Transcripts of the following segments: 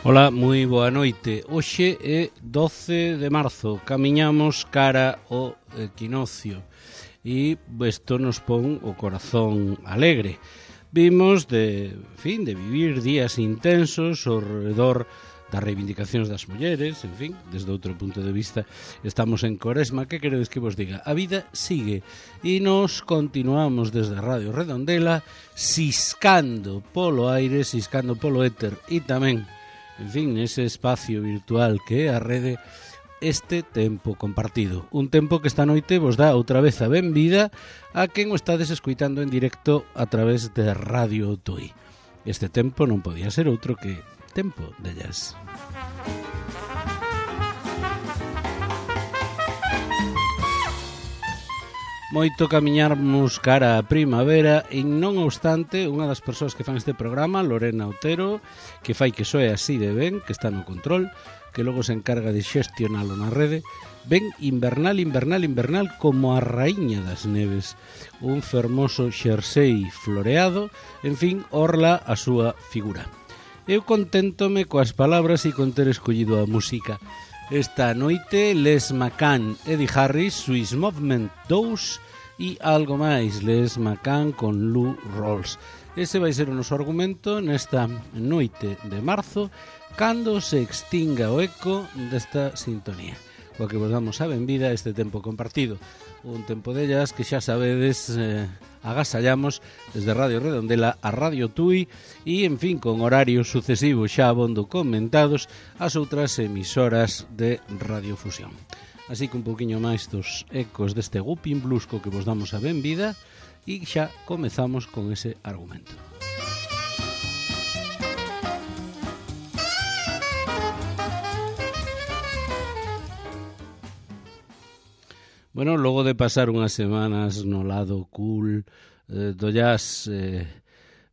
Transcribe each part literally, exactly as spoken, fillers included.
Ola, moi boa noite. Hoxe é doce de marzo, camiñamos cara ao equinoccio e isto nos pon o corazón alegre. Vimos de, en fin, de vivir días intensos ao redor das reivindicacións das mulleres, en fin, desde outro punto de vista estamos en Coresma. Que queredes que vos diga? A vida sigue e nos continuamos desde Radio Redondela siscando polo aire, siscando polo éter e tamén, en fin, ese espacio virtual que é a rede, este tempo compartido. Un tempo que esta noite vos dá outra vez a benvida a quen o estades escuitando en directo a través de Radio Tui. Este tempo non podía ser outro que tempo de jazz. Moito camiñarmos cara a primavera e non obstante, unha das persoas que fan este programa, Lorena Otero, que fai que soe así de ben, que está no control, que logo se encarga de xestionalo na rede, ven invernal, invernal, invernal como a raíña das neves, un fermoso xersei floreado, en fin, orla a súa figura. Eu conténtome coas palabras e con ter escollido a música. Esta noite, Les McCann, Eddie Harris, Swiss Movement dous e algo máis, Les McCann con Lou Rawls. Ese vai ser o noso argumento nesta noite de marzo, cando se extinga o eco desta sintonía, coa que vos damos a benvida a este tempo compartido. Un tempo de jazz que xa sabedes, eh, agasallamos desde Radio Redondela a Radio Tui e, en fin, con horarios sucesivos xa abondo comentados as outras emisoras de radiofusión. Así que un pouquiño máis dos ecos deste Gupin Blues co que vos damos a benvida e xa comezamos con ese argumento. Bueno, logo de pasar unhas semanas no lado cool eh, do jazz, eh,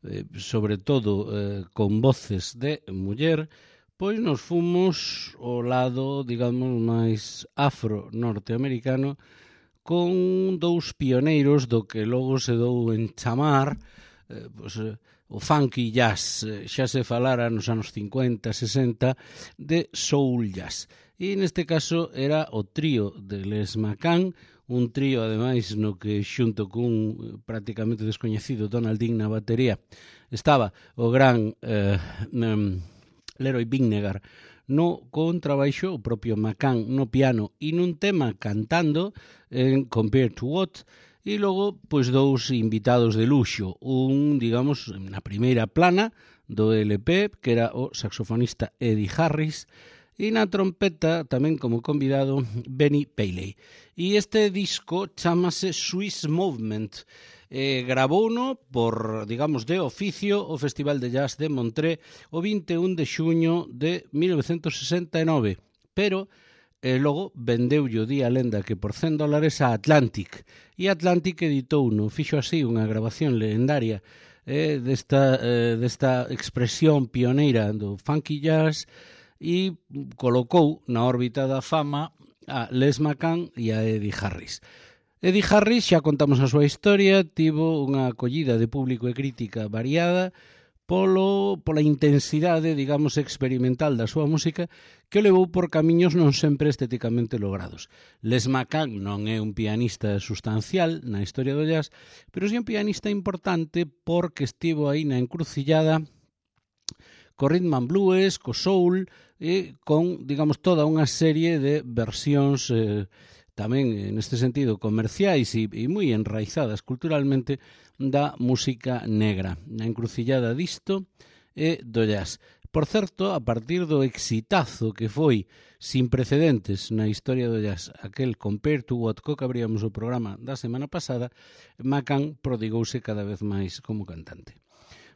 eh, sobre todo eh, con voces de muller, pois nos fomos ao lado, digamos, máis afro-norteamericano, con dous pioneiros do que logo se dou en chamar eh, pois, eh, o funky jazz. Eh, xa se falara nos anos cincuenta, sesenta de soul jazz. E neste caso era o trío de Les McCann, un trío ademais no que xunto cun prácticamente descoñecido Donaldin na batería estaba o gran eh, um, Leroy Vinnegar no contrabaixo, o propio McCann no piano e nun tema cantando en Compared to What, e logo pois dous invitados de luxo, un, digamos, na primeira plana do L P, que era o saxofonista Eddie Harris, e na trompeta, tamén como convidado, Benny Paley. E este disco chamase Swiss Movement. Eh, grabouno por, digamos, de oficio o Festival de Jazz de Montré o vinte e un de xuño de mil novecentos sesenta e nove, pero eh, logo vendeulle o día lenda que por cen dólares a Atlantic, e Atlantic editou no fixo así unha grabación legendaria eh, desta, eh, desta expresión pioneira do funky jazz, e colocou na órbita da fama a Les McCann e a Eddie Harris. Eddie Harris, xa contamos a súa historia, tivo unha acollida de público e crítica variada polo, pola intensidade, digamos, experimental da súa música que o levou por camiños non sempre estéticamente logrados. Les McCann non é un pianista sustancial na historia do jazz, pero sí un pianista importante porque estivo aí na encrucillada co rhythm and blues, co soul e con, digamos, toda unha serie de versións eh, tamén, neste sentido, comerciais e, e moi enraizadas culturalmente da música negra, na encrucillada disto e do jazz. Por certo, a partir do exitazo que foi sin precedentes na historia do jazz, aquel Compared to What, co que abríamos o programa da semana pasada, McCann prodigouse cada vez máis como cantante.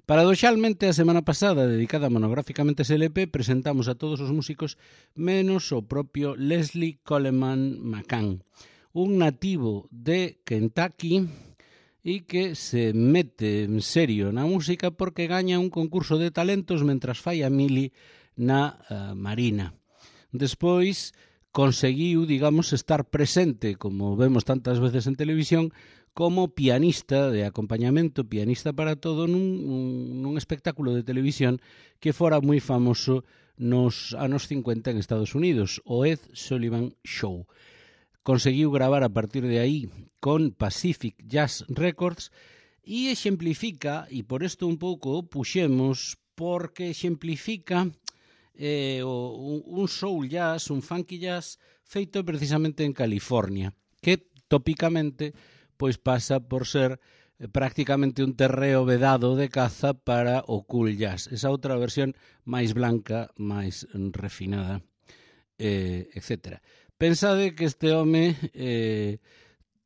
Paradoxalmente, a semana pasada, dedicada monográficamente a ese L P, presentamos a todos os músicos menos o propio Leslie Coleman McCann, un nativo de Kentucky e que se mete en serio na música porque gaña un concurso de talentos mentras fai a mili na uh, Marina. Despois conseguiu, digamos, estar presente, como vemos tantas veces en televisión, como pianista de acompañamento, pianista para todo, nun, nun, nun espectáculo de televisión que fora moi famoso nos anos cincuenta en Estados Unidos, o Ed Sullivan Show. Conseguiu gravar a partir de aí con Pacific Jazz Records e exemplifica, e por isto un pouco puxemos, porque exemplifica eh, o, un soul jazz, un funky jazz feito precisamente en California, que tópicamente pois pasa por ser prácticamente un terreo vedado de caza para o cool jazz. Esa outra versión máis blanca, máis refinada, eh, etcétera. Pensade que este home eh,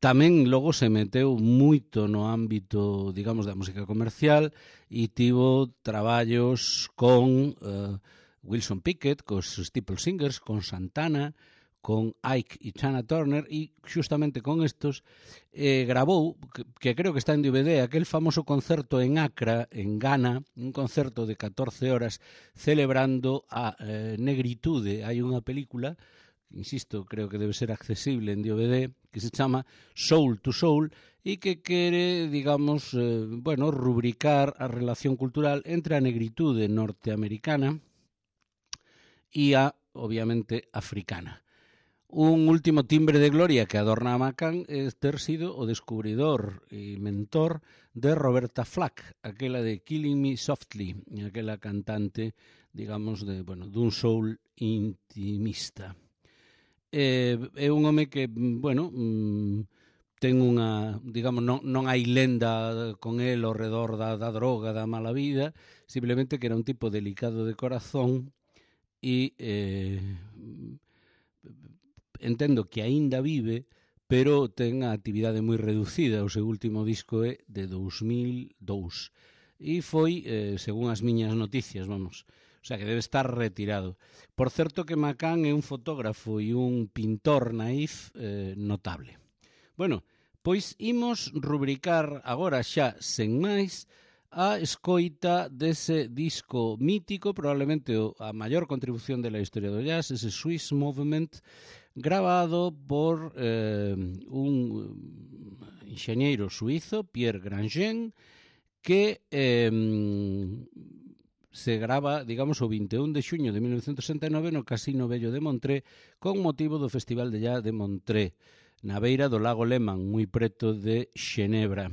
tamén logo se meteu moito no ámbito, digamos, da música comercial e tivo traballos con eh, Wilson Pickett, cos Steeple Singers, con Santana, con Ike e Tina Turner, e xustamente con estos eh, grabou, que, que creo que está en D V D, aquel famoso concerto en Accra, en Ghana, un concerto de catorce horas celebrando a eh, negritude. Hai unha película, insisto, creo que debe ser accesible en D V D, que se chama Soul to Soul e que quere, digamos, eh, bueno, rubricar a relación cultural entre a negritude norteamericana e a, obviamente, africana. Un último timbre de gloria que adorna a McCann é ter sido o descubridor e mentor de Roberta Flack, aquela de Killing Me Softly, aquela cantante, digamos, de, bueno, dun soul intimista. É, é un home que, bueno, ten unha, digamos, non, non hai lenda con el ao redor da, da droga, da mala vida, simplemente que era un tipo delicado de corazón e... Eh, entendo que aínda vive, pero ten a actividade moi reducida. O seu último disco é de dous mil dous e foi, eh, según as miñas noticias, vamos, o sea que debe estar retirado. Por certo que McCann é un fotógrafo e un pintor naif eh, notable. Bueno, pois imos rubricar agora xa sen máis a escoita dese disco mítico, probablemente a maior contribución de la historia do jazz, ese Swiss Movement, grabado por eh, un enxeñeiro suizo, Pierre Grandjean, que eh, se grava, digamos, o vinte e un de xuño de mil novecentos sesenta e nove no Casino Vello de Montré con motivo do Festival de Jazz de Montré, na beira do lago Léman, moi preto de Xenebra.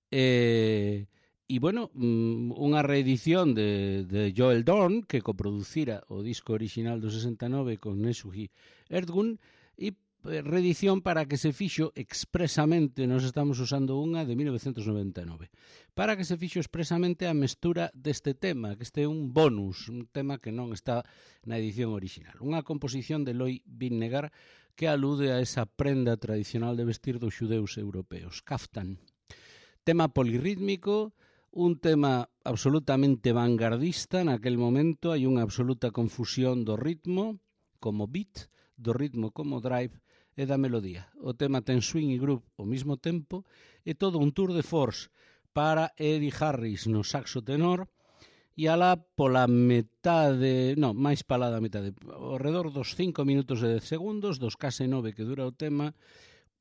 E... E, bueno, unha reedición de, de Joel Dorn, que coproducira o disco original do sesenta e nove con Nesuhi Erdgun, e reedición para que se fixo expresamente, nos estamos usando unha de mil novecentos noventa e nove, para que se fixo expresamente a mestura deste tema, que este é un bonus, un tema que non está na edición original. Unha composición de Loi Vinnegar que alude a esa prenda tradicional de vestir dos xudeus europeos, kaftan. Tema polirrítmico, un tema absolutamente vanguardista. Naquel momento hai unha absoluta confusión do ritmo como beat, do ritmo como drive e da melodía. O tema ten swing e groove ao mesmo tempo e todo un tour de force para Eddie Harris no saxo tenor e alá pola metade, non, máis pala da metade, ao redor dos cinco minutos e dez segundos, dos case nove que dura o tema,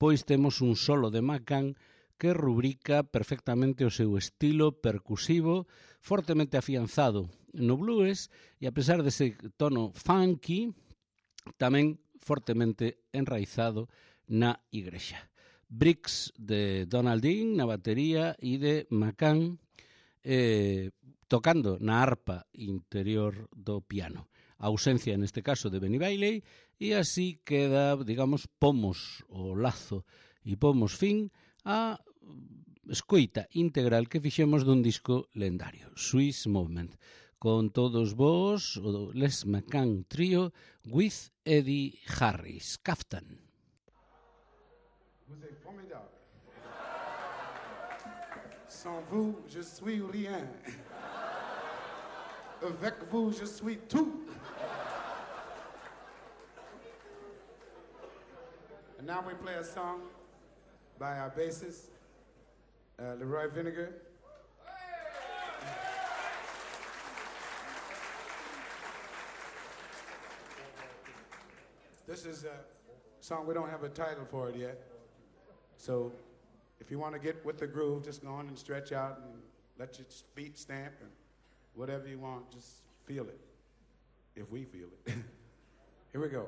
pois temos un solo de McCann que rubrica perfectamente o seu estilo percusivo, fortemente afianzado no blues e a pesar dese tono funky, tamén fortemente enraizado na igrexa. Bricks de Donald Dean na batería e de McCann eh, tocando na arpa interior do piano. A ausencia, neste caso, de Benny Bailey, e así queda, digamos, pomos o lazo e pomos fin a escoita integral que fixemos dun disco lendario, Swiss Movement, con todos vos, o Les McCann Trio, with Eddie Harris, Kaftan. Vous êtes formidable. Sans vous, je suis rien. Avec vous, je suis tout. And now we play a song by our bassist, uh, Leroy Vinnegar. This is a song, we don't have a title for it yet. So if you want to get with the groove, just go on and stretch out and let your feet stamp and whatever you want, just feel it. if we feel it. Here we go.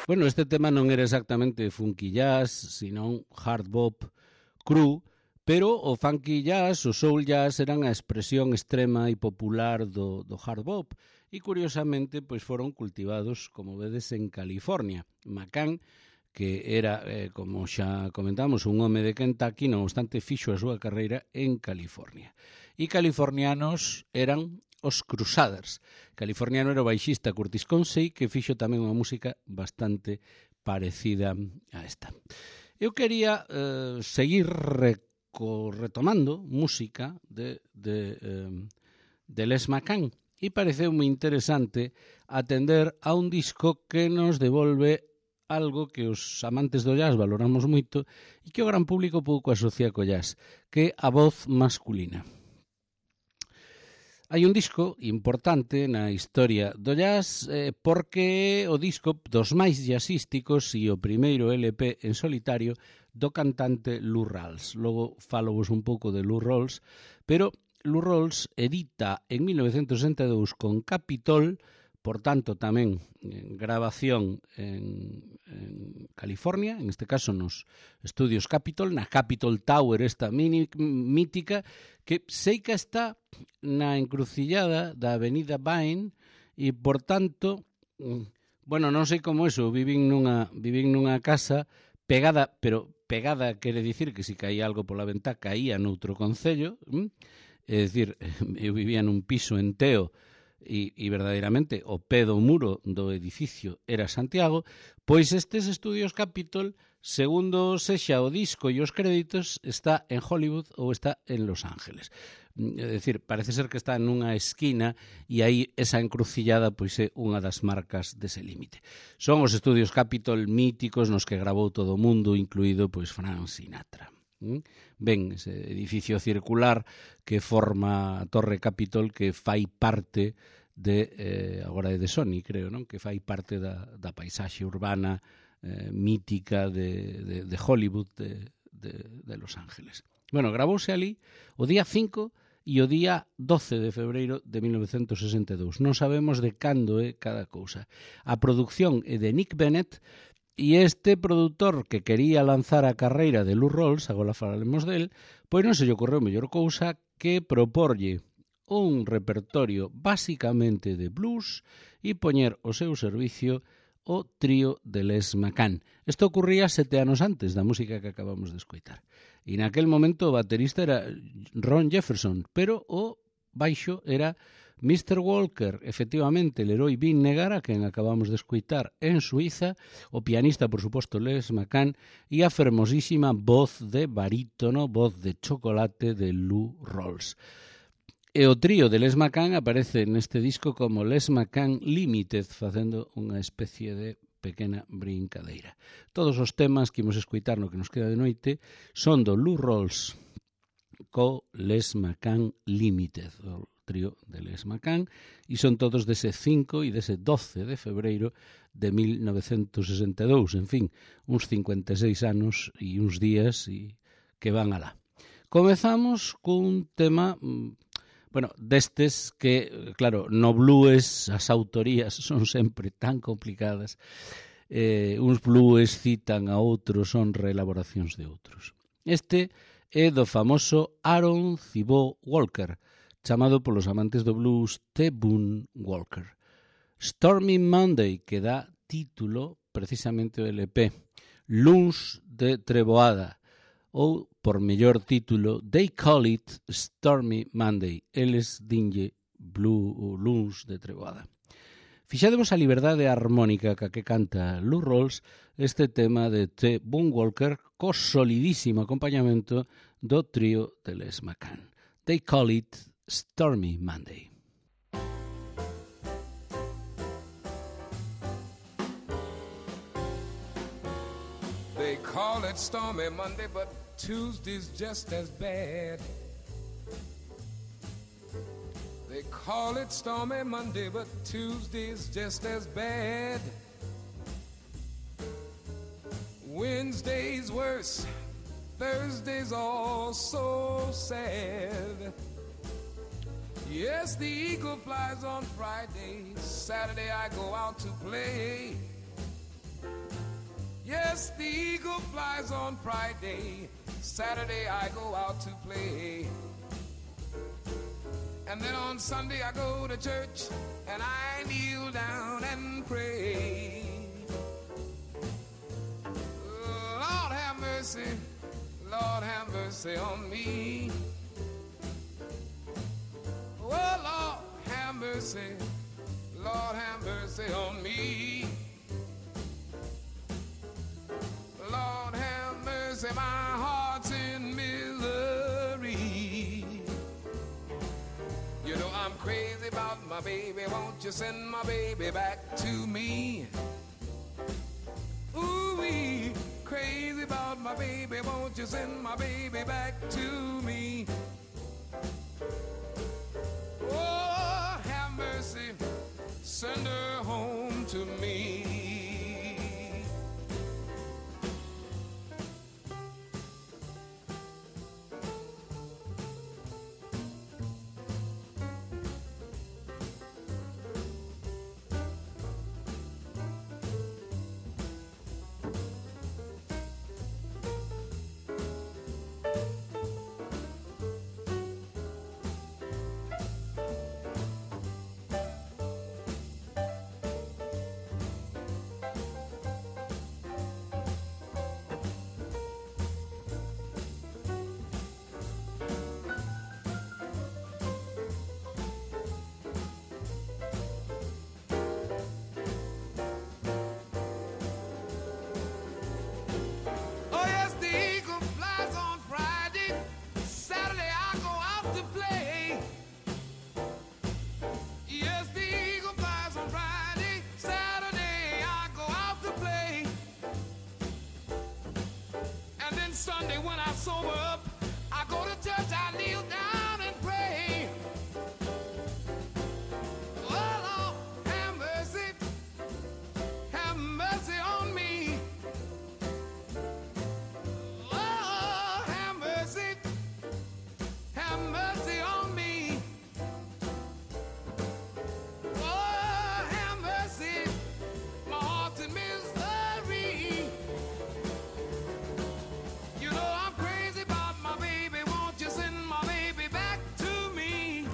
Bueno, este tema non era exactamente funky jazz, senón hard bop cru, pero o funky jazz, o soul jazz eran a expresión extrema e popular do, do hard bop e, curiosamente, pois foron cultivados, como vedes, en California. McCann, que era, eh, como xa comentamos, un home de Kentucky, non obstante, fixo a súa carreira en California. E californianos eran os Crusaders. Californiano era o baixista Curtis Consey, que fixo tamén unha música bastante parecida a esta. Eu quería eh, seguir reco, retomando música de, de, eh, de Les McCann e pareceu moi interesante atender a un disco que nos devolve algo que os amantes do jazz valoramos moito e que o gran público pouco asocia co jazz, que é a voz masculina. Hai un disco importante na historia do jazz eh, porque o disco dos máis jazzísticos e o primeiro L P en solitario do cantante Lou Rawls. Logo falovos un pouco de Lou Rawls, pero Lou Rawls edita en mil novecentos sesenta e dous con Capitol, por tanto tamén en grabación en, en California, en este caso nos estudios Capitol, na Capitol Tower, esta mini, mítica, que sei que está na encrucillada da avenida Vine e, por tanto, bueno, non sei como eso, vivín nunha, vivín nunha casa pegada, pero pegada quere dicir que se caía algo pola ventá, caía noutro concello, é dicir, eu vivía nun piso en Teo, e, e verdadeiramente o pé do muro do edificio era Santiago, pois estes estudios Capitol, segundo sexa o disco e os créditos, está en Hollywood ou está en Los Ángeles. É dicir, parece ser que está nunha esquina e aí esa encrucillada pois é unha das marcas dese límite. Son os estudios Capitol míticos nos que grabou todo o mundo, incluído pois Frank Sinatra. Ben, ese edificio circular que forma a Torre Capitol, que fai parte de, eh, agora é de Sony, creo, non? Que fai parte da, da paisaxe urbana eh, mítica de, de, de Hollywood, de, de, de Los Ángeles. Bueno, gravouse ali o día cinco e o día doce de febreiro de mil novecentos sesenta e dous. Non sabemos de cando é cada cousa. A produción é de Nick Bennett, e este produtor que quería lanzar a carreira de Lou Rawls, agora falaremos del, pois non se lle ocorreu mellor cousa que proporlle un repertorio basicamente de blues e poñer ao seu servicio o trío de Les McCann. Isto ocurría sete anos antes da música que acabamos de escoitar. E naquel momento o baterista era Ron Jefferson, pero o baixo era mister Walker, efectivamente, Leroy Vinnegar, a quen acabamos de escoitar en Suiza, o pianista, por suposto, Les McCann, e a fermosísima voz de barítono, voz de chocolate de Lou Rawls. E o trío de Les McCann aparece neste disco como Les McCann Limited, facendo unha especie de pequena brincadeira. Todos os temas que imos escoitar no que nos queda de noite son do Lou Rawls co Les McCann Limited, o trío de Les McCann, e son todos dese cinco e dese doce de febreiro de mil novecentos sesenta e dous, en fin, uns cincuenta e seis anos e uns días e que van alá. Comezamos cun tema, Bueno, destes que, claro, no blues as autorías son sempre tan complicadas. Eh, uns blues citan a outros, son reelaboracións de outros. Este é do famoso Aaron Thibault Walker, chamado polos amantes do blues T. Boone Walker. Stormy Monday, que dá título precisamente o L P, Luns de Treboada, ou, por mellor título, They Call It Stormy Monday, eles dinlle Blue Luns de Treboada. Fixademos a liberdade harmónica ca que canta Lou Rawls este tema de T. Boone Walker co solidísimo acompañamento do trío de Les McCann. They Call It Stormy Monday. They call it Stormy Monday, but Tuesday's just as bad. They call it Stormy Monday, but Tuesday's just as bad. Wednesday's worse, Thursday's all so sad. Yes, the eagle flies on Friday, Saturday I go out to play. Yes, the eagle flies on Friday, Saturday I go out to play. And then on Sunday I go to church and I kneel down and pray. Lord have mercy, Lord have mercy on me. Oh, Lord have mercy, Lord have mercy on me. Lord have mercy, my heart's in misery. You know I'm crazy about my baby, won't you send my baby back to me? Ooh-wee, crazy about my baby, won't you send my baby back to me? Oh, have mercy, send her home to me. Sunday when I sober up, I go to church, I kneel down and pray. Oh, Lord, have mercy, have mercy on me. Oh, have mercy, have mercy on me. Oh, have mercy, my heart's in misery. You know I'm crazy about my baby, won't you send my baby back to me?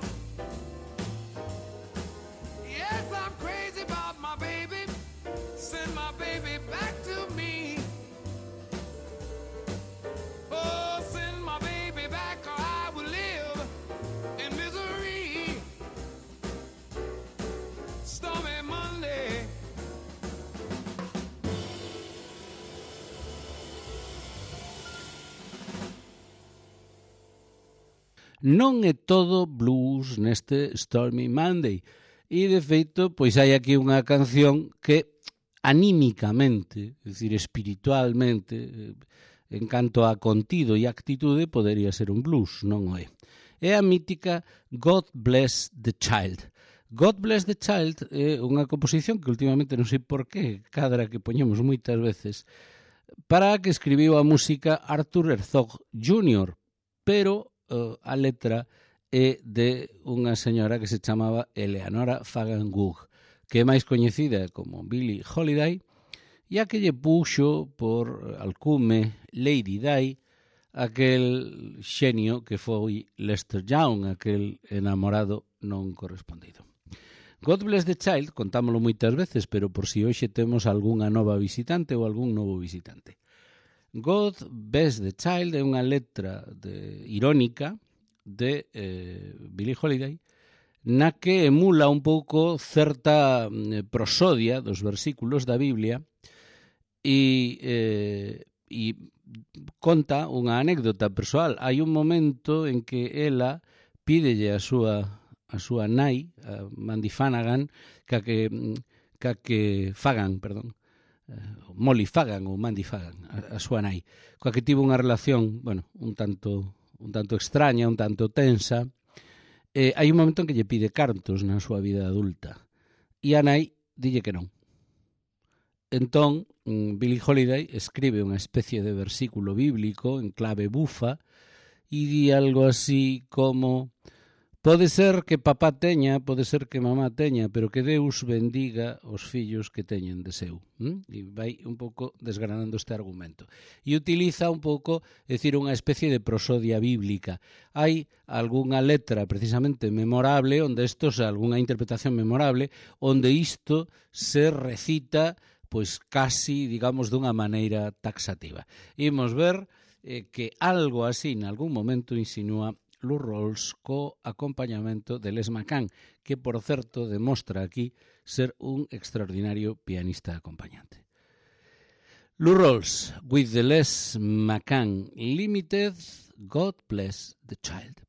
Yes, I'm crazy about my baby, send my baby back to me. Oh, send my baby back or I will live in misery. Stormy Monday. Non é todo blues neste Stormy Monday. E, de feito, pois hai aquí unha canción que anímicamente, é dicir, espiritualmente, en canto a contido e actitude, podería ser un blues, non o é. É a mítica God Bless the Child. God Bless the Child é unha composición que últimamente non sei por qué, cadra que poñemos moitas veces, para a que escribiu a música Arthur Herzog júnior, pero uh, a letra é de unha señora que se chamaba Eleanora Fagan Gough, que é máis coñecida como Billie Holiday, e a que lle puxo por alcume Lady Di aquel xenio que foi Lester Young, aquel enamorado non correspondido. God Bless the Child, contámolo moitas veces, pero por si hoxe temos algunha nova visitante ou algún novo visitante. God Bless the Child é unha letra de, irónica de eh, Billie Holiday, na que emula un pouco certa eh, prosodia dos versículos da Biblia e, eh, e conta unha anécdota persoal. Hai un momento en que ela pídelle a súa a súa nai, a Mandy Flanagan, que que, que, que Fagan, perdón, Molly Fagan ou Mandy Fagan, a, a súa nai, coa que tivo unha relación, bueno, un tanto un tanto extraña, un tanto tensa. Eh, hai un momento en que lle pide cartos na súa vida adulta e a nai dille que non. Entón, Billie Holiday escribe unha especie de versículo bíblico en clave bufa e di algo así como: pode ser que papá teña, pode ser que mamá teña, pero que Deus bendiga os fillos que teñen de seu. ¿Mm? E vai un pouco desgranando este argumento. E utiliza un pouco, é dicir, unha especie de prosodia bíblica. Hai algunha letra precisamente memorable, onde isto é algunha interpretación memorable, onde isto se recita pois casi, digamos, dunha maneira taxativa. Imos ver eh, que algo así, en algún momento, insinúa Lou Rawls co acompañamento de Les McCann, que, por certo, demostra aquí ser un extraordinario pianista acompañante. Lou Rawls, with the Les McCann Limited, God Bless the Child.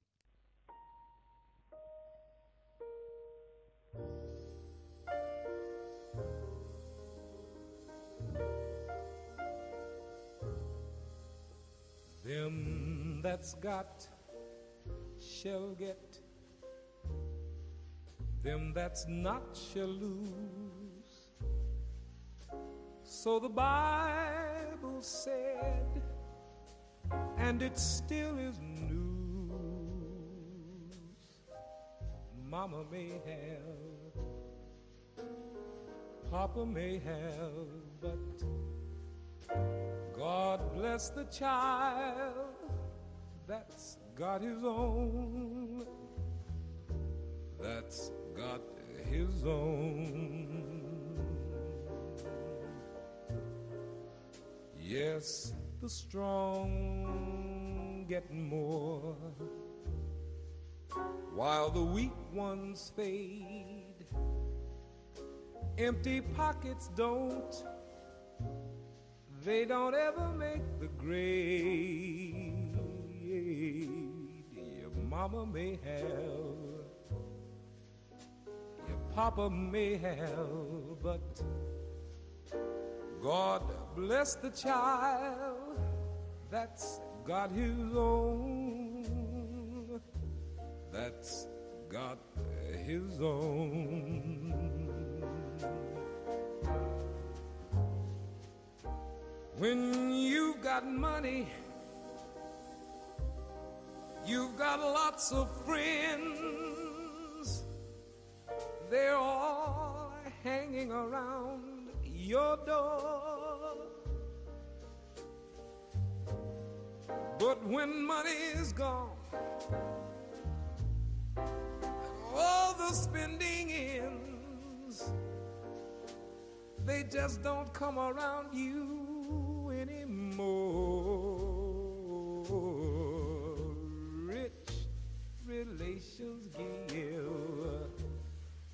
Them that's got shall get, them that's not shall lose. So the Bible said, and it still is news. Mama may have, Papa may have, but God bless the child that's got his own, that's got his own. Yes, the strong get more, while the weak ones fade. Empty pockets don't, they don't ever make the grade. Your mama may have, your papa may have, but God bless the child that's got his own, that's got his own. When you've got money, you've got lots of friends. They're all hanging around your door. But when money is gone, all the spending ends, they just don't come around you anymore. Rich relations give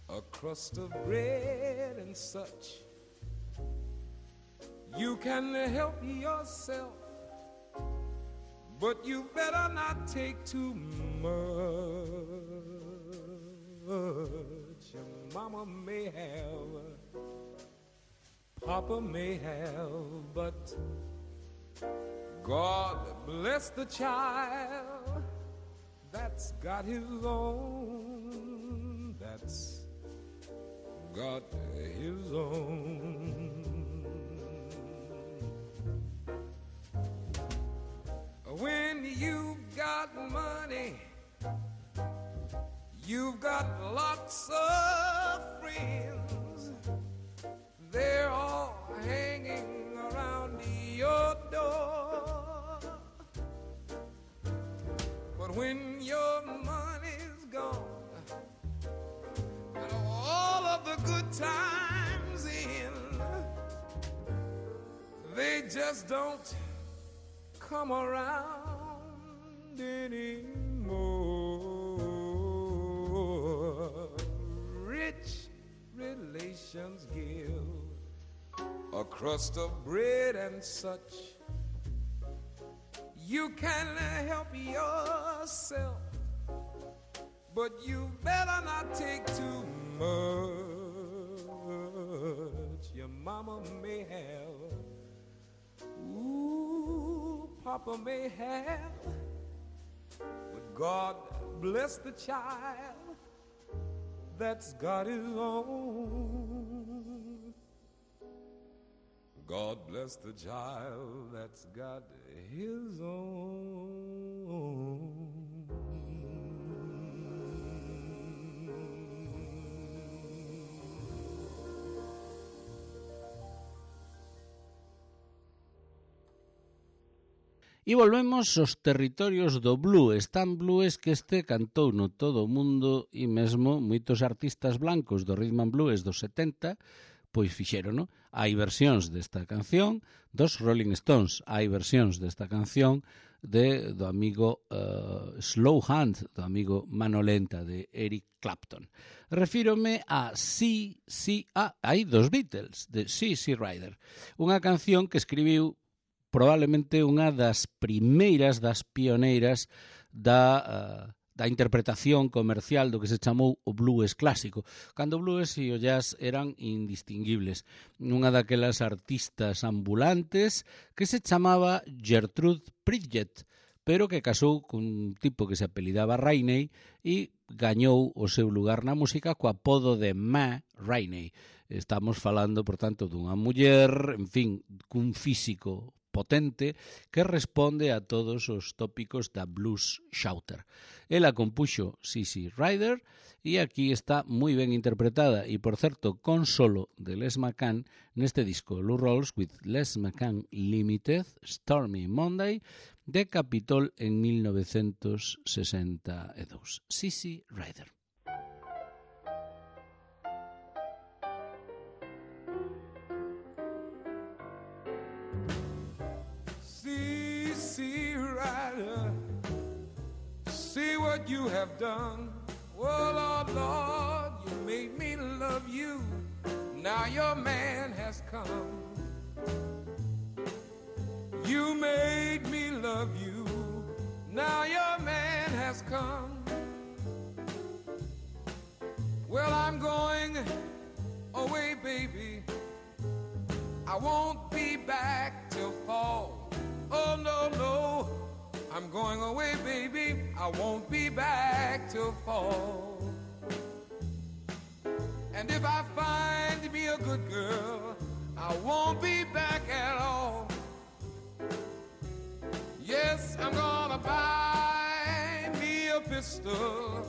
a crust of bread and such. You can help yourself, but you better not take too much. Your mama may have, Papa may have, but God bless the child that's got his own, that's got his own. When you've got money, when your money's gone and all of the good times in, they just don't come around anymore. Rich relations give a crust of bread and such. You can help yourself, but you better not take too much. Your mama may have, ooh, Papa may have, but God bless the child that's got his own. God bless the child that's got his own. E volvemos aos territorios do blues, tan blues que este cantou no todo o mundo e mesmo moitos artistas blancos do rhythm and blues dos setenta pois fixérono. Hai versións desta canción dos Rolling Stones, hai versións desta canción de, do amigo uh, Slow Hand, do amigo Mano Lenta de Eric Clapton. Refírome a C C A, hai dos Beatles, de C C Rider, unha canción que escribiu probablemente unha das primeiras, das pioneiras da, uh, da interpretación comercial do que se chamou o blues clásico, cando o blues e o jazz eran indistinguibles. Unha daquelas artistas ambulantes que se chamaba Gertrude Pridgett, pero que casou cun tipo que se apelidaba Rainey e gañou o seu lugar na música co apodo de Ma Rainey. Estamos falando, por tanto, dunha muller, en fin, cun físico potente que responde a todos os tópicos da blues shouter. Ela compuxo C C Rider e aquí está moi ben interpretada e, por certo, con solo de Les McCann neste disco Lou Rawls with Les McCann Limited, Stormy Monday, de Capitol en mil novecentos sesenta e dous. C C Rider. See what you have done. Oh, Lord, Lord, you made me love you. Now your man has come. You made me love you. Now your man has come. Well, I'm going away, baby. I won't be back till fall. Oh, no, no. I'm going away, baby, I won't be back till fall. And if I find me a good girl, I won't be back at all. Yes, I'm gonna buy me a pistol,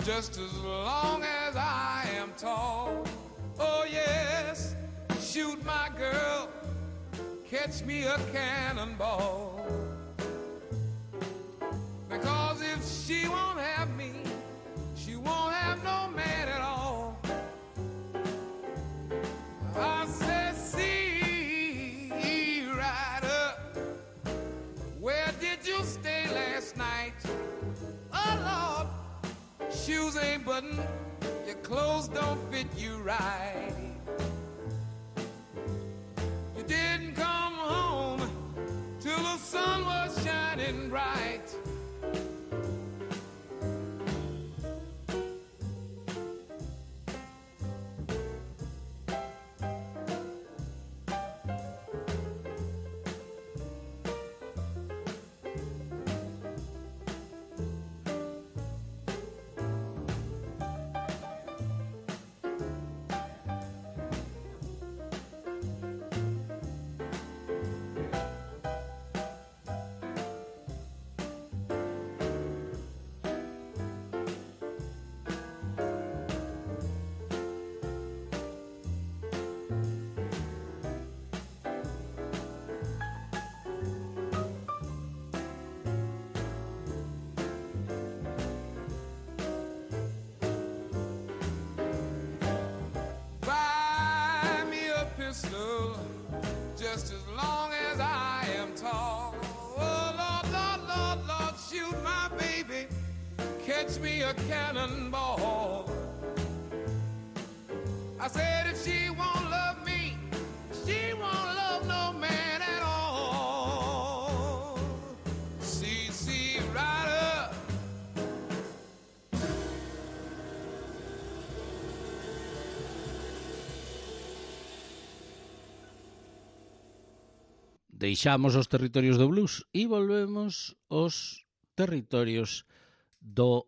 just as long as I am tall. Oh yes, shoot my girl, catch me a cannonball. Because if she won't have me, she won't have no man at all. I said, see, Rider, where did you stay last night? Oh, Lord, shoes ain't buttoned, your clothes don't fit you right. You didn't come home till the sun was shining bright. pistol just as long as I am tall. Oh, Lord, Lord, Lord, Lord, shoot my baby, catch me a cannonball. I said if she won't love me, she won't love no man at all. C C Rider. Deixamos os territorios do blues e volvemos aos territorios dos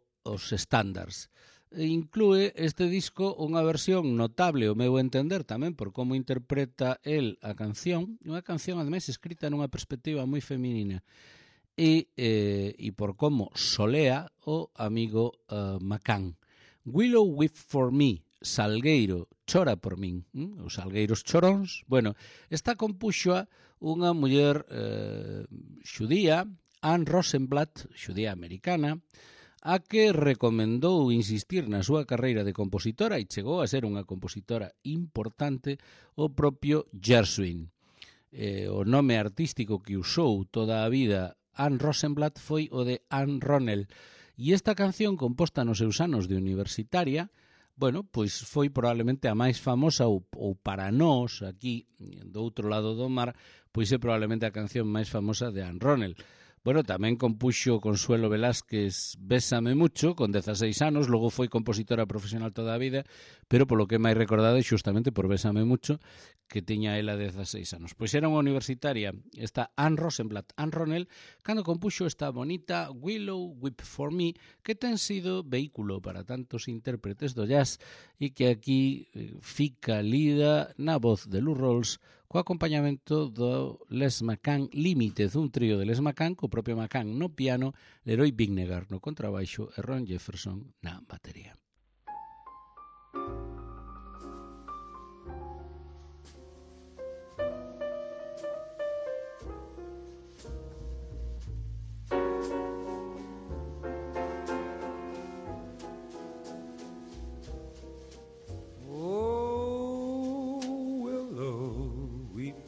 estándares. Inclúe este disco unha versión notable, o meu entender, tamén por como interpreta el a canción, unha canción ademais escrita nunha perspectiva moi feminina, e, eh, e por como solea o amigo uh, McCann. Willow Weep for Me, Salgueiro chora por min, ¿Mm? Os salgueiros choróns. Bueno, esta compuxoa unha muller eh, xudía, Anne Rosenblatt, xudía americana, a que recomendou insistir na súa carreira de compositora e chegou a ser unha compositora importante o propio Gershwin. Eh, o nome artístico que usou toda a vida Anne Rosenblatt foi o de Anne Ronell. E esta canción, composta nos seus anos de universitaria, bueno, pois foi probablemente a máis famosa ou, ou para nós, aquí, do outro lado do mar, pois é probablemente a canción máis famosa de Anne Ronell. Bueno, tamén compuxo Consuelo Velázquez Bésame Mucho, con dezaseis anos, logo foi compositora profesional toda a vida, pero polo que é máis recordada é xustamente por Bésame Mucho, que tiña ela dezaseis anos. Pois era unha universitaria, esta Anne Rosenblatt, Anne Ronell, cando compuxo esta bonita Willow Weep for Me, que ten sido vehículo para tantos intérpretes do jazz e que aquí fica lida na voz de Lou Rawls, co acompañamento do Les McCann Limited, un trío de Les McCann, co propio McCann no piano, Leroy Bignegar no contrabaixo e Ron Jefferson na batería.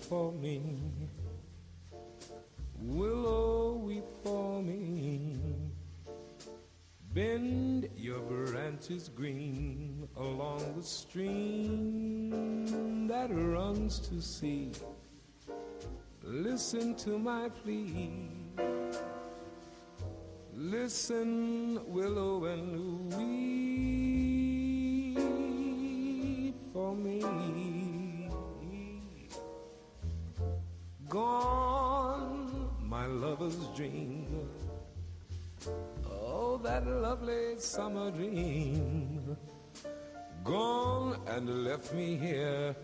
For me, willow, weep for me. Bend your branches green along the stream that runs to sea. Listen to my plea. Listen, willow, and weep for me. Gone, my lover's dream. Oh, that lovely summer dream. Gone and left me here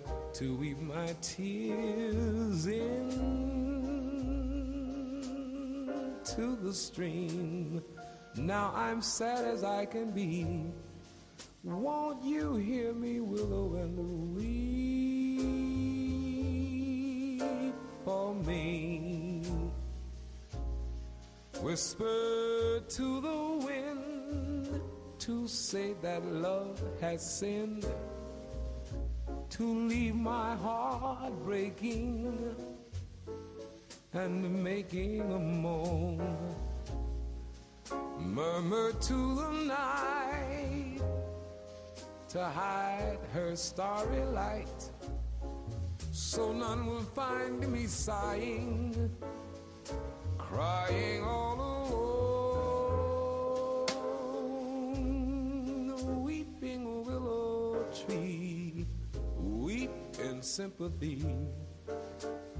to weep my tears into the stream. Now I'm sad as I can be. Won't you hear me, willow, and weep for me? Whisper to the wind to say that love has sinned, to leave my heart breaking and making a moan. Murmur to the night to hide her starry light, so none will find me sighing, crying all alone. Weeping willow tree, weep in sympathy.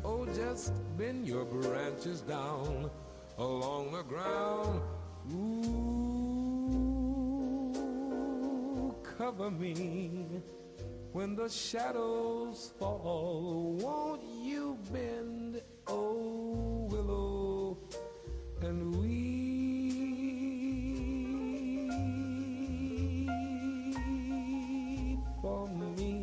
Oh, just bend your branches down along the ground. Ooh, cover me when the shadows fall. Won't you bend, oh willow, and weep for me?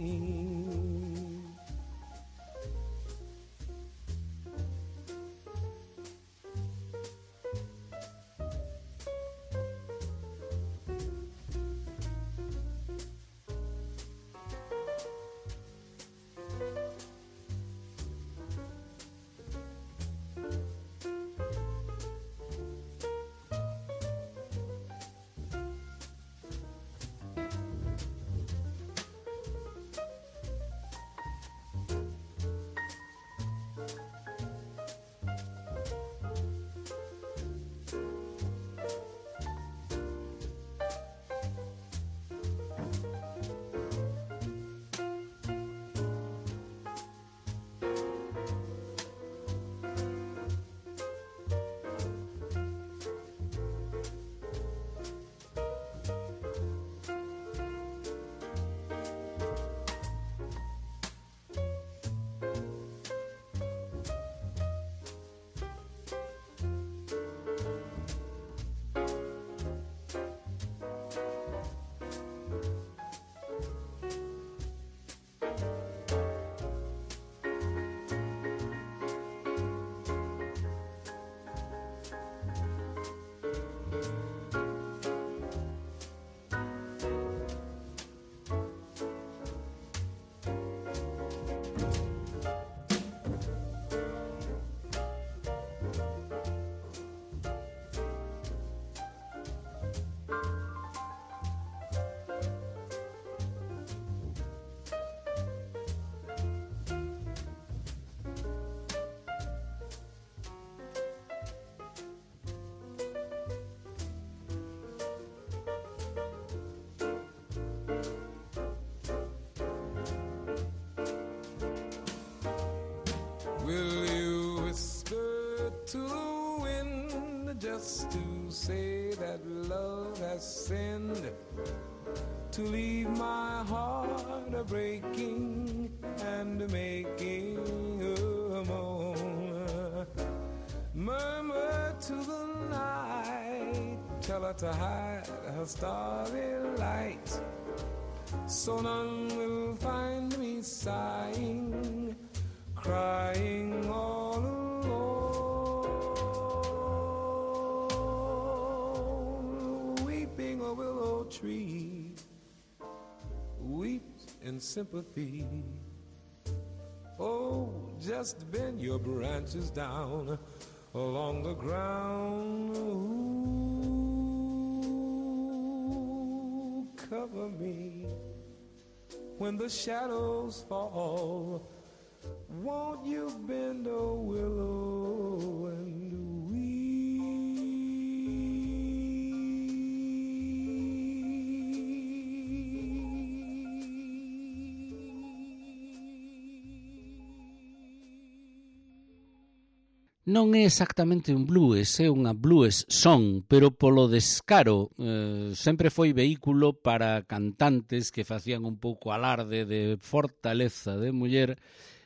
Will you whisper to the wind just to say that love has sinned, to leave my heart a breaking and making a moan? Murmur to the night, tell her to hide her starry light, so none will find me sighing, crying all alone. Weeping a willow tree weeps in sympathy. Oh, just bend your branches down along the ground. Ooh, cover me when the shadows fall. Won't you bend a willow and Non é exactamente un blues, é unha blues song, pero polo descaro eh, sempre foi vehículo para cantantes que facían un pouco alarde de fortaleza de muller.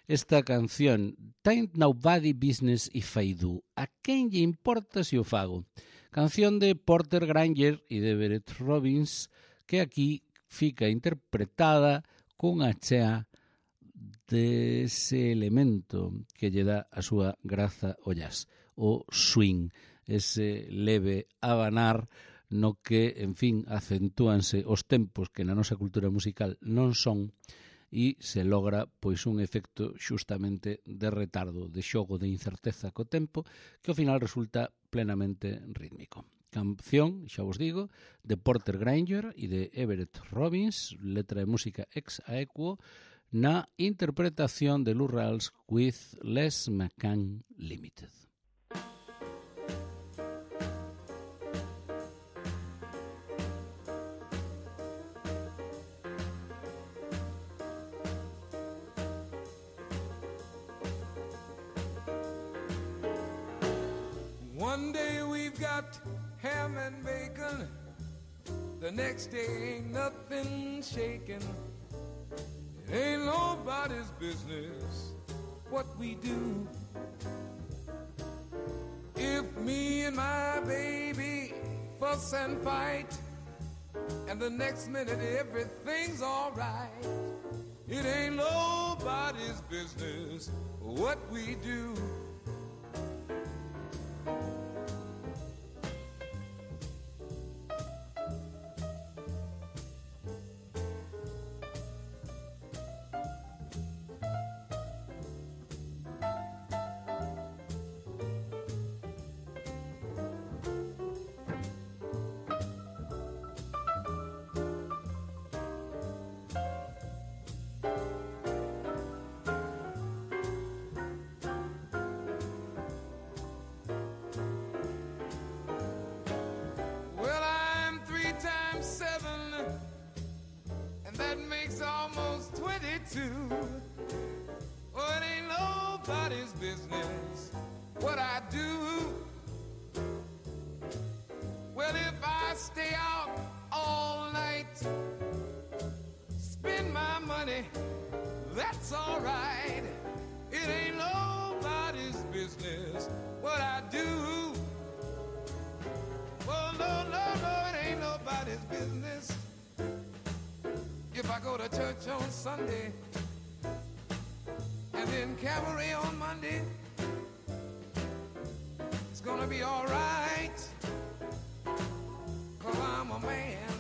Esta canción, Tain't Nobody Business If I Do, a quen lle importa se o fago? Canción de Porter Grainger e de Everett Robbins, que aquí fica interpretada con a chea dese elemento que lle dá a súa graza ao jazz, o swing, ese leve abanar no que, en fin, acentúanse os tempos que na nosa cultura musical non son, e se logra pois un efecto xustamente de retardo, de xogo, de incerteza co tempo, que ao final resulta plenamente rítmico. Canción, xa vos digo, de Porter Grainger e de Everett Robbins, letra e música ex aequo, na interpretación de Lou Rawls with Les McCann Limited. One day we've got ham and bacon, the next day ain't nothing shaking. It ain't nobody's business what we do. If me and my baby fuss and fight, and the next minute everything's alright, it ain't nobody's business what we do. Oh, it ain't nobody's business what I do. Well, if I stay out all night, spend my money, that's all right. It ain't nobody's business what I do. Well, no, no, no, it ain't nobody's business. If I go to church on Sunday and then cabaret on Monday, it's gonna be all right, 'cause I'm a man.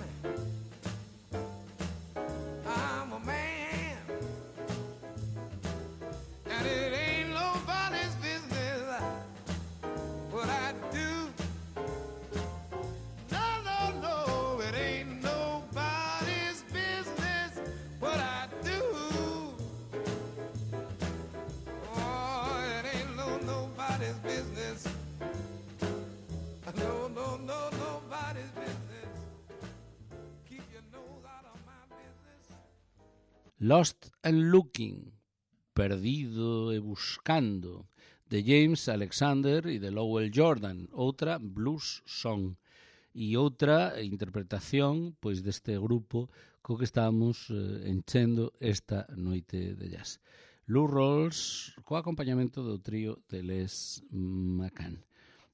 I'm a man. And it ain't nobody's business what I do. No, no, no, it ain't nobody's business what I do. Oh, it ain't no nobody's business. No, no, no, nobody's business. Keep your nose out of my business. Lost and Looking, Perdido e Buscando, de James Alexander e de Lowell Jordan, outra blues song. E outra interpretación pois deste grupo co que estamos eh, enchendo esta noite de jazz. Lou Rawls co acompañamento do trío de Les McCann.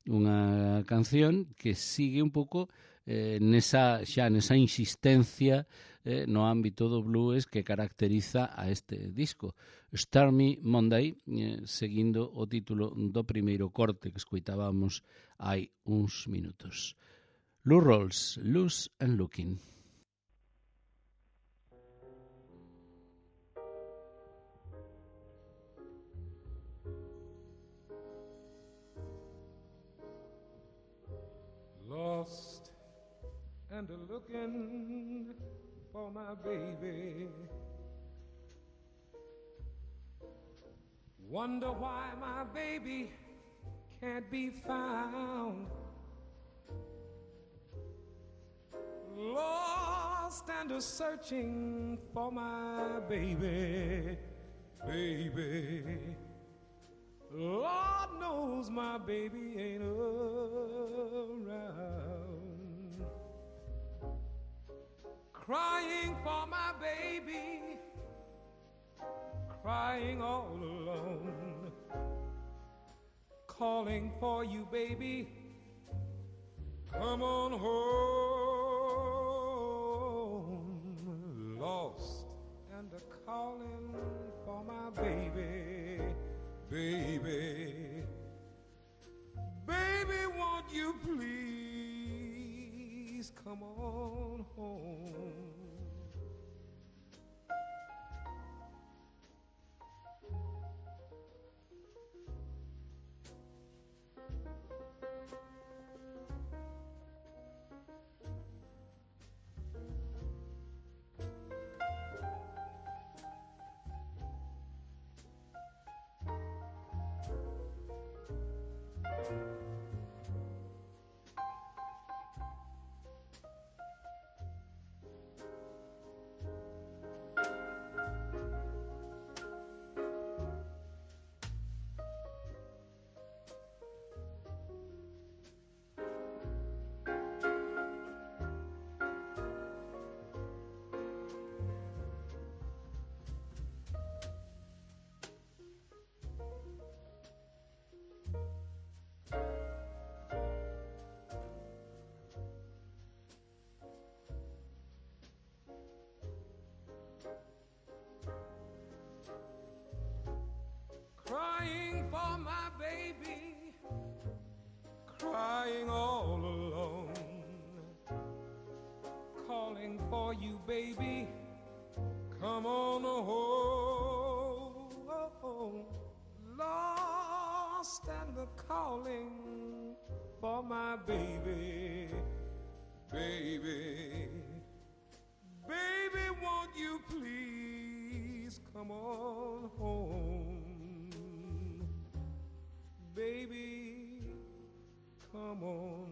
Unha canción que sigue un pouco eh, nesa, xa nesa insistencia eh, no ámbito do blues que caracteriza a este disco. Stormy Monday, eh, seguindo o título do primeiro corte que escoitábamos hai uns minutos. Lou Rawls, Loose and Looking. Lost and a-looking for my baby. Wonder why my baby can't be found. Lost and a-searching for my baby, baby. Lord knows my baby ain't around. Crying for my baby, crying all alone. Calling for you, baby, come on home. Lost and a-calling for my baby, baby, baby, won't you please come on home? Crying for my baby, crying all alone. Calling for you, baby, come on home. Lost and a-calling for my baby, baby. Baby, won't you please come on home? Baby, come on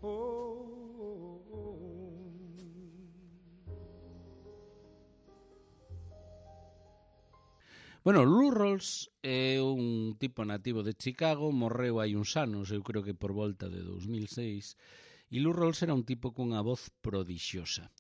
home. Bueno, Lou Rawls é un tipo nativo de Chicago, morreu hai uns anos, eu creo que por volta de dos mil seis, e Lou Rawls era un tipo cunha voz prodixiosa.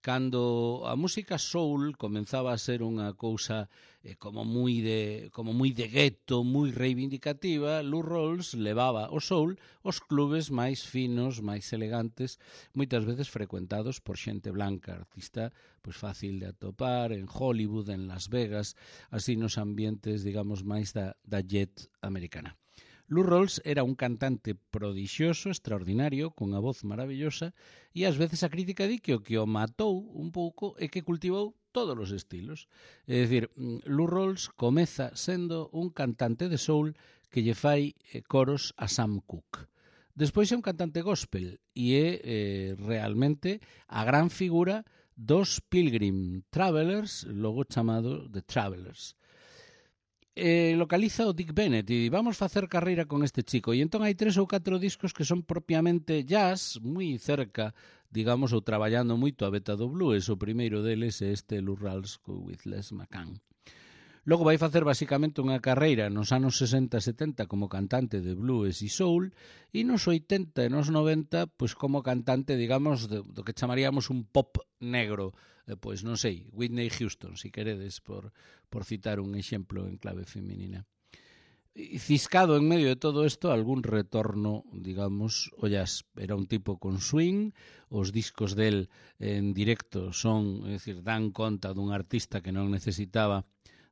Cando a música soul comenzaba a ser unha cousa eh, como moi de como moi de gueto, moi reivindicativa, Lou Rawls levaba o soul aos clubes máis finos, máis elegantes, moitas veces frecuentados por xente blanca, artista pois fácil de atopar en Hollywood, en Las Vegas, así nos ambientes, digamos, máis da, da jet americana. Lou Rawls era un cantante prodixioso, extraordinario, cunha voz maravillosa, e ás veces a crítica di que o que o matou un pouco é que cultivou todos os estilos. É dicir, Lou Rawls comeza sendo un cantante de soul que lle fai coros a Sam Cooke. Despois é un cantante gospel e é eh, realmente a gran figura dos Pilgrim Travelers, logo chamado The Travelers. Eh, localiza o Dick Bennett e vamos facer carreira con este chico, e entón hai tres ou catro discos que son propiamente jazz, moi cerca, digamos, ou traballando moito a beta do blues. O primeiro deles é este Lou Rawls with Les McCann. Logo vai facer basicamente unha carreira nos anos sesenta e setenta como cantante de blues e soul e nos oitenta e nos noventa pois como cantante, digamos, do, do que chamaríamos un pop negro. Eh, pois non sei, Whitney Houston, si queredes, por, por citar un exemplo en clave feminina. E ciscado en medio de todo isto algún retorno, digamos, o jazz. Era un tipo con swing, os discos del en directo son, é dicir, dan conta dun artista que non necesitaba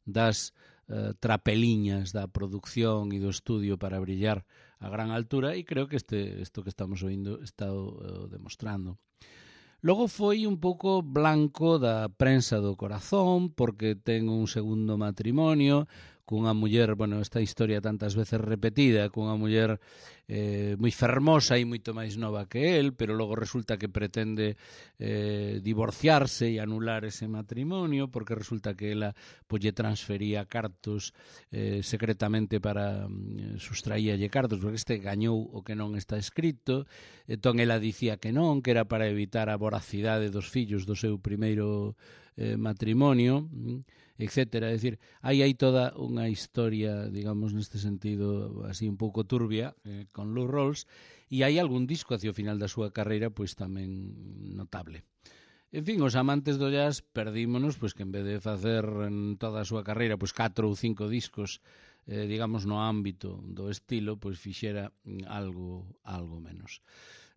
das eh, trapeliñas da producción e do estudio para brillar a gran altura e creo que este isto que estamos oindo está uh, demostrando. Logo foi un pouco blanco da prensa do corazón porque ten un segundo matrimonio cunha muller, bueno, esta historia tantas veces repetida, cunha muller eh, moi fermosa e moito máis nova que el, pero logo resulta que pretende eh, divorciarse e anular ese matrimonio porque resulta que ela pois, lle transfería cartos eh, secretamente para eh, sustraíalle cartos porque este gañou o que non está escrito, entón ela dicía que non, que era para evitar a voracidade dos fillos do seu primeiro eh, matrimonio, etcétera. É dicir, aí hai toda unha historia, digamos, neste sentido, así un pouco turbia, eh, con Lou Rawls, e hai algún disco hacia o final da súa carreira, pois tamén notable. En fin, os amantes do jazz perdímonos, pois que en vez de facer en toda a súa carreira, pois catro ou cinco discos, eh, digamos, no ámbito do estilo, pois fixera algo, algo menos.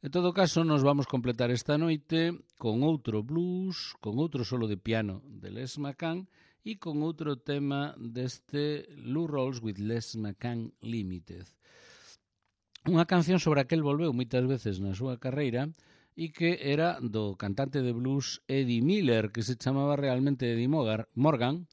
En todo caso, nos vamos completar esta noite con outro blues, con outro solo de piano de Les McCann e con outro tema deste Lou Rawls with Les McCann Limited. Unha canción sobre a que el volveu moitas veces na súa carreira e que era do cantante de blues Eddie Miller, que se chamaba realmente Eddie Morgan,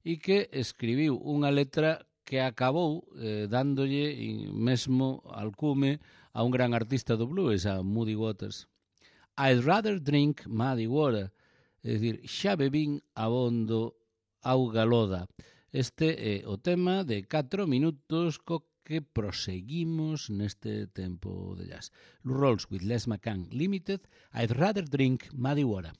e que escribiu unha letra que acabou eh, dándolle mesmo alcume a un gran artista do blues, a Muddy Waters. I'd rather drink muddy water, é dicir, xa bebín abondo auga loda. Este é o tema de catro minutos co que proseguimos neste tempo de jazz. Lou Rawls with Les McCann Limited, I'd rather drink muddy water.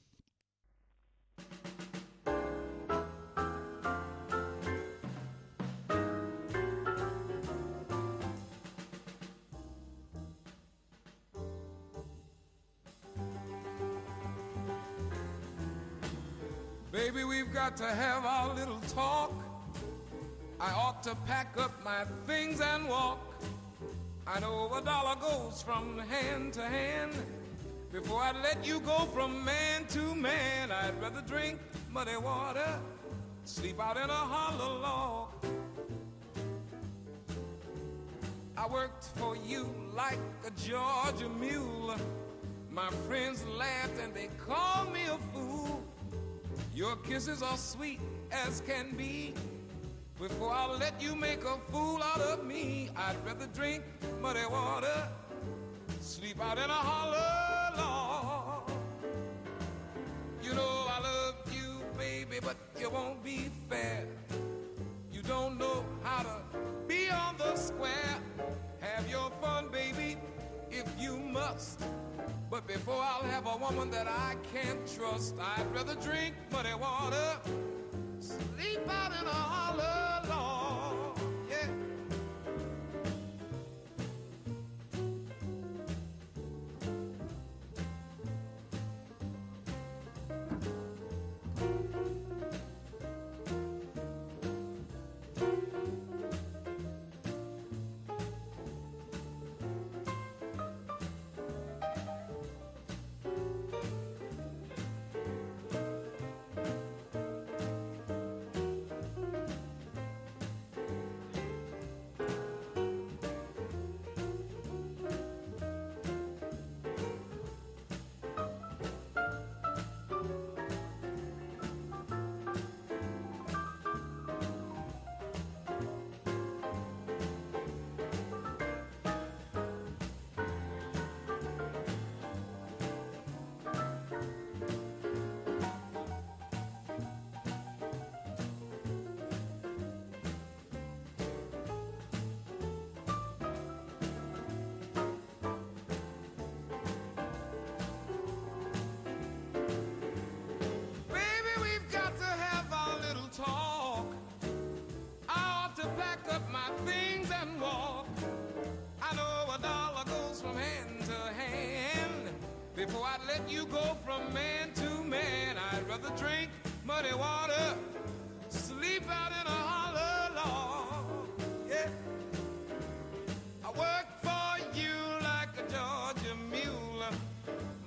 Baby, we've got to have our little talk. I ought to pack up my things and walk. I know a dollar goes from hand to hand. Before I let you go from man to man, I'd rather drink muddy water, sleep out in a hollow log. I worked for you like a Georgia mule. My friends laughed and they called me a fool. Your kisses are sweet as can be. Before I let you make a fool out of me, I'd rather drink muddy water, sleep out in a hollow log. You know I love you, baby, but you won't be fair. You don't know how to be on the square. Have your fun, baby, if you must. But before I'll have a woman that I can't trust, I'd rather drink muddy water, sleep out in a hollow log. Yeah. go from man to man. I'd rather drink muddy water, sleep out in a hollow log. Yeah. I work for you like a Georgia mule.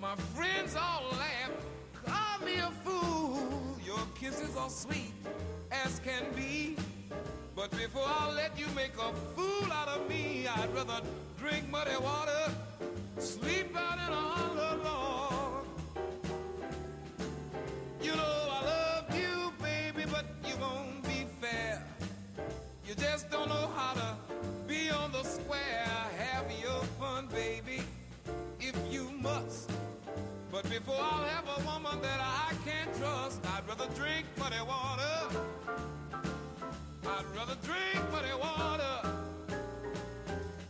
My friends all laugh, call me a fool. Your kisses are sweet as can be, but before I let you make a fool out of me, I'd rather drink muddy water, sleep out in a hollow log. You know I love you, baby, but you won't be fair. You just don't know how to be on the square. Have your fun, baby, if you must. But before I'll have a woman that I can't trust, I'd rather drink muddy water. I'd rather drink muddy water.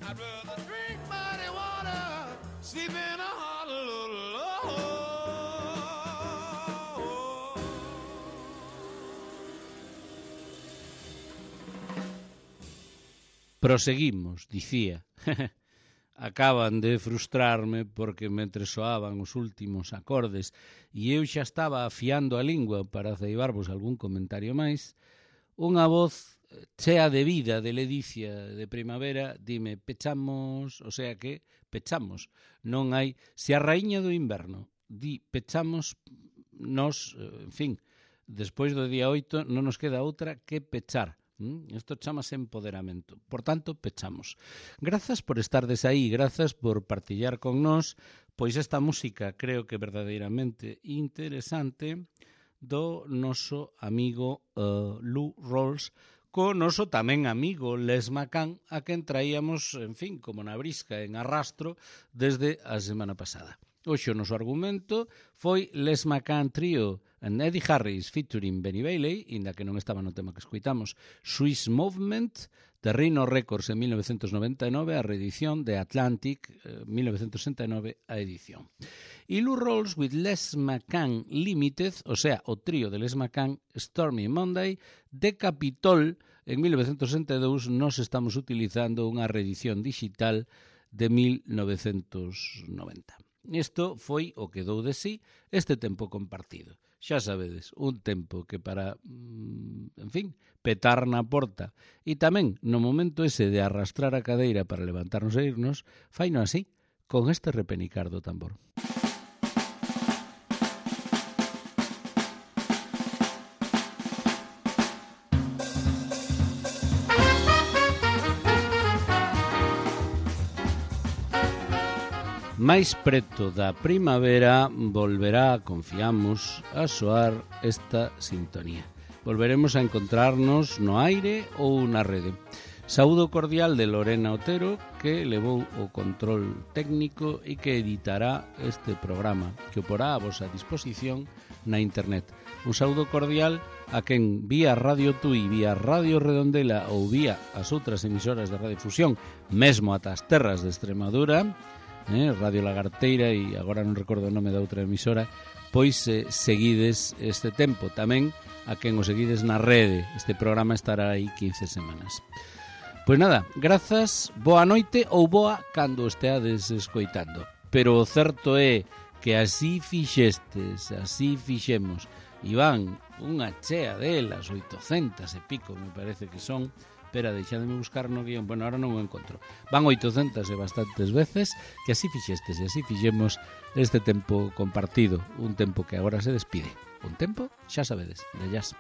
I'd rather drink muddy water, sleep in a hollow log. Proseguimos, dicía. Acaban de frustrarme porque mentre soaban os últimos acordes e eu xa estaba afiando a lingua para ceibarvos algún comentario máis, unha voz chea de vida, de ledicia, de primavera, dime, pechamos, o sea que pechamos. Non hai, se a raíña do inverno di pechamos, nos, en fin, despois do día oito non nos queda outra que pechar. Isto chamase empoderamento. Por tanto, pechamos. Grazas por estardes aí, grazas por partillar con nós, pois esta música creo que verdadeiramente interesante do noso amigo uh, Lou Rawls, co noso tamén amigo Les McCann, a quen traíamos, en fin, como na brisca, en arrastro, desde a semana pasada. Hoxe o noso argumento foi Les McCann Trio and Eddie Harris featuring Benny Bailey, inda que non estaba no tema que escuitamos, Swiss Movement, de Rhino Records en mil novecientos noventa e nove, a reedición de Atlantic, eh, mil novecientos sesenta e nove, a edición. E Lou Rawls with Les McCann Limited, o sea, o trío de Les McCann Stormy Monday, de Capitol, en mil novecientos sesenta e dous, nos estamos utilizando unha reedición digital de mil novecientos noventa. Isto foi o que dou de sí este tempo compartido. Xa sabedes, un tempo que para, en fin, petar na porta e tamén no momento ese de arrastrar a cadeira para levantarnos e irnos, faino así, con este repenicar do tambor. máis preto da primavera volverá, confiamos, a soar esta sintonía. Volveremos a encontrarnos no aire ou na rede. Saúdo cordial de Lorena Otero, que levou o control técnico e que editará este programa, que o porá a vosa disposición na internet. Un saúdo cordial a quen vía Radio Tui, vía Radio Redondela ou vía as outras emisoras de radiofusión, mesmo ata as terras de Extremadura, eh, Radio Lagarteira e agora non recordo o nome da outra emisora, pois eh, seguides este tempo. Tamén a quen o seguides na rede. Este programa estará aí quince semanas. Pois nada, grazas, boa noite ou boa cando esteades escoitando. Pero o certo é que así fixestes, así fixemos. E van unha chea delas, oitocentas e pico, me parece que son. Espera, deixademe buscar no guión. Bueno, ahora non o encontro. Van oitocentas e bastantes veces que así fixestes e así fixemos este tempo compartido. Un tempo que agora se despide. Un tempo, xa sabedes, de jazz.